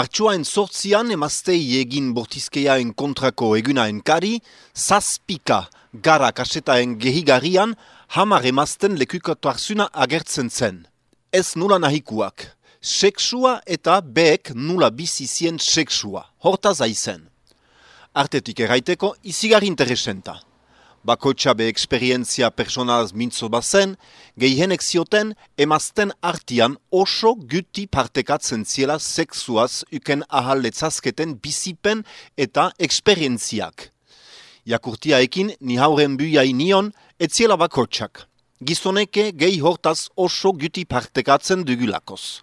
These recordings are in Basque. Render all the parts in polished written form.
Martxoain 8 emaztei egin bortizkeiaen kontrako egunaen kari, zazpika gara kasetaen gehigarrian, 10 emazten lekukatuarzuna agertzen zen. Ez nula nahikuak, seksua eta beek nula bizizien seksua, hortaz aizen. Artetik erraiteko, izigarri interesenta. Bakoitza be eksperientzia personalaz mintzo bazen, gehienek zioten emazten artian oso guti partekatzen ziela sexuaz uken ahal letzazketen bizipen eta eksperientziak. Jakurtiaekin ni hauren buiai nion etziela bakoitzak. Gizoneke gehi hortaz oso guti partekatzen dugulakoz.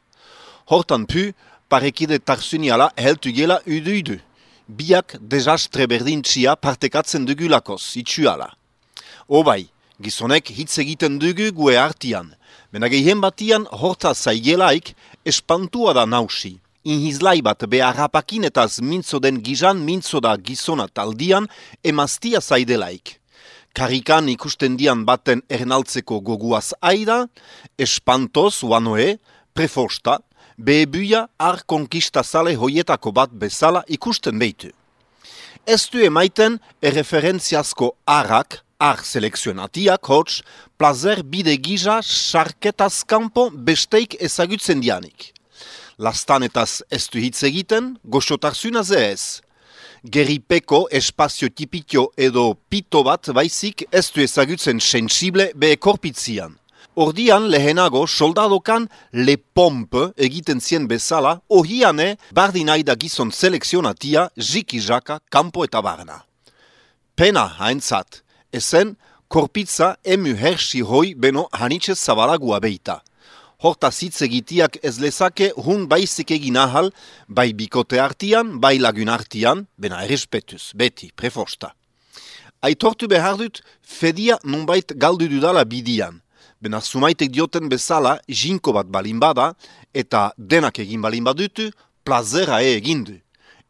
Hortan pu, parekide tarsuniala heltu gela udu. Biak desastre berdintxia partekatzen dugulakoz, itxuala. Obai, gizonek hitz egiten dugu gue artian, bena gehien batian hortaz zaigelaik espantua da nausi. Inhizlai bat beharrapakin etaz mintzo den gizan mintzo da gizona taldian emaztia zaidelaik. Karikan ikusten dian baten ernaltzeko goguaz aida, espantoz uanoe, prefosta, behebuia ar konkista zale hoietako bat bezala ikusten behitu. Ez du emaiten erreferentziazko arrak, ar selekzionatiak hots, plazer bide giza sarketaz kanpo besteik ezagutzen dianik. Lastanetaz ez du hitz egiten, goxotarzuna ze ez. Geripeko espazio tipitio edo pito bat baizik ez du ezagutzen sensible behe korpitzian. Ordian lehenago soldadokan le pompe egiten zien bezala, ohiane bardinaida gizon selekzionatia jiki-jaka kanpo eta barna. Pena haintzat, ezen korpitza emu hersi hoi beno hanitxez zabalagua beita. Hortaz hitz egitiak ez lezake hun baizik egin ahal, bai bikote artian, bai lagun artian, bena errespetuz, beti, prefosta. Aitortu behar dut, fedia nonbait galdu dudala bidian. Bena sumaitek dioten bezala jinko bat balin bada eta denak egin balin badutu, plazera egin du.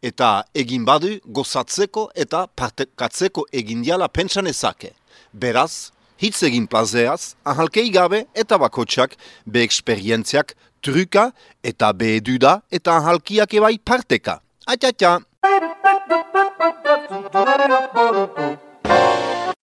Eta egin badu gozatzeko eta partekatzeko egin diala pentsan ezake. Beraz, hitz egin plazeaz, ahalkei gabe eta bakotxak be eksperientziak truka eta be eduda eta ahalkiak ebai parteka. Atxatxa!